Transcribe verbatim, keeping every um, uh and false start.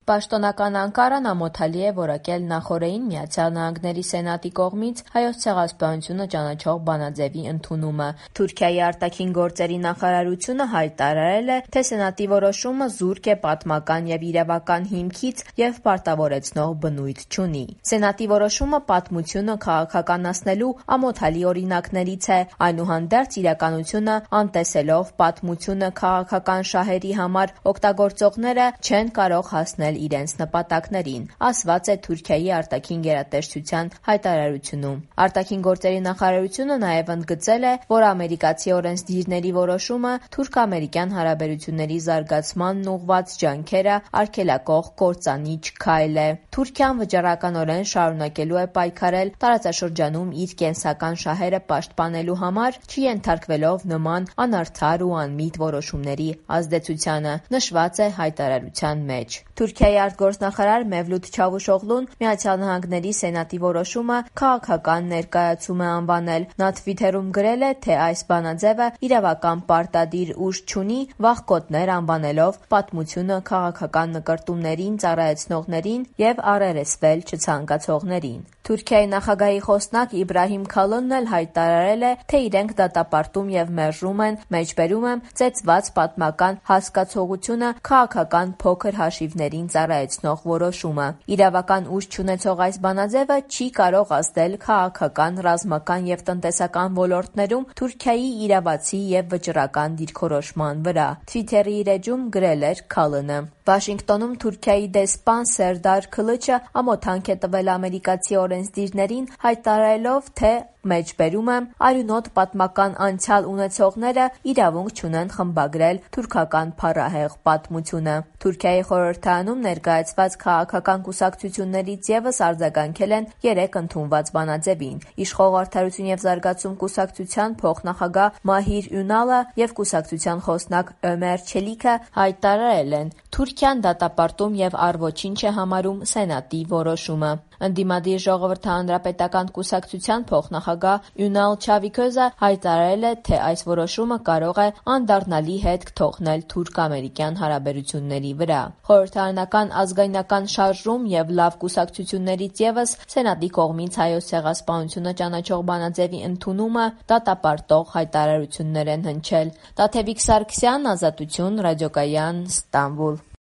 Պաշտոնական Անկարան ամոթալի է որակել նախօրեին Միացյալ Նահանգների Սենատի կողմից Հայոց ցեղասպանությունը ճանաչող բանաձևի ընդունումը։ Թուրքիայի արտաքին գործերի նախարարությունը հայտարարել է, թե Սենատի որոշումը զուրկ է պատմական և իրավական հիմքից և պարտավորեցնող բնույթ չունի։ Սենատի որոշումը պատմությունը քաղաքականացնելու ամոթալի օրինակներից է, այնուհանդերձ իրականությունը անտեսելով պատմությունը քաղաքական շահերի համար օգտագործողները չեն կարող հասնել իրենց նպատակներին, ասված է Թուրքիայի արտաքին գերատեսչության հայտարարությունում։ Արտաքին գործերի նախարարությունը նաև ընդգծել է, որ ամերիկացի օրենսդիրների որոշումը թուրք-ամերիկյան հարաբերությունների զարգացմանն ուղղված ջանքերը արգելակող կործանիչ քայլ է։ Թուրքիան վճռականորեն շարունակելու է պայքարել տարածաշրջանում իր կենսական շահերը պաշտպանելու համար, չենթարկվելով նման անարդար ու անմիտ որոշումների ազդեցությանը, նշված է հայտարարության մեջ։ Թուրքիայի արտգործնախարար Մևլութ Չավուշօղլուն Միացյալ Նահանգների Սենատի որոշումը քաղաքական ներկայացում է անվանել։ Նա թվիթերում գրել է, թե այս բանաձևը իրավական պարտադիր ուժ չունի, վախկոտներ անվանելով պատմությունը քաղաքական նկրտումներին ծառայեցնողներին և առերեսվել չցանկացողներին։ Թուրքիայի նախագահի խոսնակ Իբրահիմ Քալոնն էլ հայտարարել է, թե իրենք դատապարտում և մերժում են, մեջբերում եմ, ծեծված պատմական հասկացողությունը քաղաքական փոքր հաշիվներին ծառայեցնող որոշումը։ Իրավական ուժ չունեցող այս բանաձևը չի կարող ազդել քաղաքական, ռազմական և տնտեսական ոլորտներում Թուրքիայի իրավացի և վճռական դիրքորոշման վրա։ Թվիթերի իր էջում գրել էր Քալոնը։ Վաշինգտոնում Թուրքիայի դեսպան Սերդար Քլիչը ամոթանք է տվել ամերիկացի օրենսդիրներին, հայտարարելով, թե մեջբերում եմ, արյունոտ պատմական անցյալ ունեցողները իրավունք չունեն խմբագրել թուրքական փառահեղ պատմությունը։ Թուրքիայի խորհրդարանում ներկայացված քաղաքական կուսակցություններից ևս արձագանքել են երեք ընդունված բանաձևին։ Իշխող Արդարություն և զարգացում կուսակցության փոխնախագահ Մահիր Յունալը և կուսակցության խոսնակ Ömer Çelikը հայտարարել են. Թուրքիան դատապարտում և առ ոչինչ է համարում Սենատի որոշումը։ Ընդդիմադիր Ժողովրդահանրապետական կուսակցության փոխնախագահ Յունալ Չավիքոզը հայտարարել է, թե այս որոշումը կարող է անդառնալի հետք թողնել թուրք-ամերիկյան հարաբերությունների վրա։ Խորհրդարանական ազգայնական շարժում և լավ կուսակցություններից ևս Սենատի կողմից Հայոց ցեղասպանությունը ճանաչող բանաձևի ընդունումը դատապարտող հայտարարություններ են հնչել։ Տաթևիկ Սարգսյան, Ազատություն, Ռադիոկայան, Ստամբուլ։